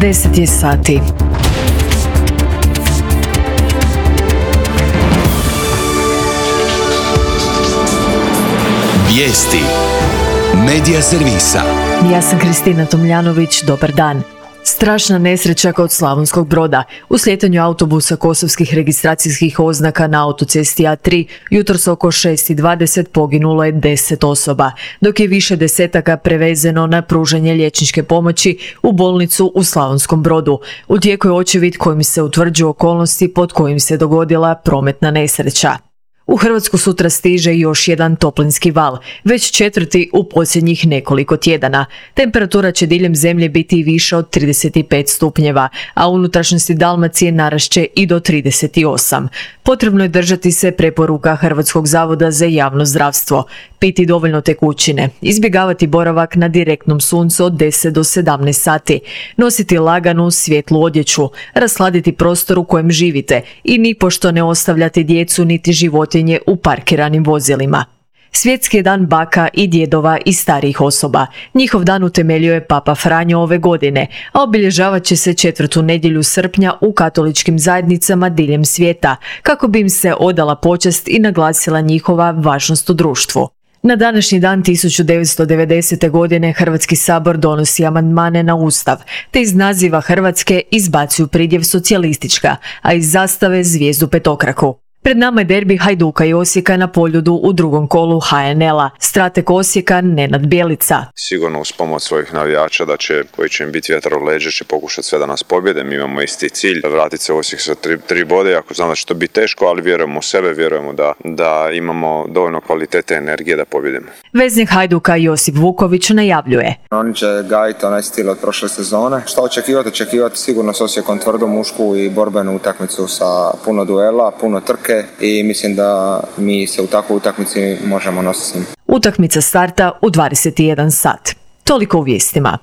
10 je sati. Vijesti Medija servisa. Ja sam Kristina Tomljanović, dobar dan. Strašna nesreća kod Slavonskog Broda. U slijetanju autobusa kosovskih registracijskih oznaka na autocesti A3 jutros oko 6:20 poginulo je 10 osoba, dok je više desetaka prevezeno na pružanje liječničke pomoći u bolnicu u Slavonskom Brodu. U tijeku je očevid kojim se utvrđuju okolnosti pod kojim se dogodila prometna nesreća. U Hrvatsku sutra stiže još jedan toplinski val, već četvrti u posljednjih nekoliko tjedana. Temperatura će diljem zemlje biti više od 35 stupnjeva, a u unutrašnjosti Dalmacije narašće i do 38. Potrebno je držati se preporuka Hrvatskog zavoda za javno zdravstvo, piti dovoljno tekućine, izbjegavati boravak na direktnom suncu od 10 do 17 sati, nositi laganu, svjetlu odjeću, rasladiti prostor u kojem živite i nipošto ne ostavljati djecu niti životinje u parkiranim vozilima. Svjetski je dan baka i djedova i starijih osoba. Njihov dan utemeljio je Papa Franjo ove godine, a obilježavat će se 4. nedjelju srpnja u katoličkim zajednicama diljem svijeta, kako bi im se odala počast i naglasila njihova važnost u društvu. Na današnji dan 1990. godine Hrvatski sabor donosi amandmane na Ustav, te iz naziva Hrvatske izbacuju pridjev socijalistička, a iz zastave zvijezdu petokraku. Pred nama je derbi Hajduka i Osijeka na Poljudu u drugom kolu HNL-a. Strateg Osijeka Nenad Bjelica. Sigurno uz pomoć svojih navijača koji će im biti vjetar u leđa, će pokušati sve da nas pobjede. Mi imamo isti cilj, vratiti se u Osijek sa tri bode, ako znam da će to biti teško, ali vjerujemo u sebe, vjerujemo da imamo dovoljno kvalitete i energije da pobjedimo. Veznik Hajduka Josip Vuković najavljuje. Oni će gajiti onaj stil od prošle sezone. Što očekivati? Očekivati sigurno s Osijekom tvrdu mušku i borbenu utakmicu sa puno duela, puno trke. I mislim da mi se u takvoj utakmici možemo nositi s njim. Utakmica starta u 21 sat. Toliko u vijestima.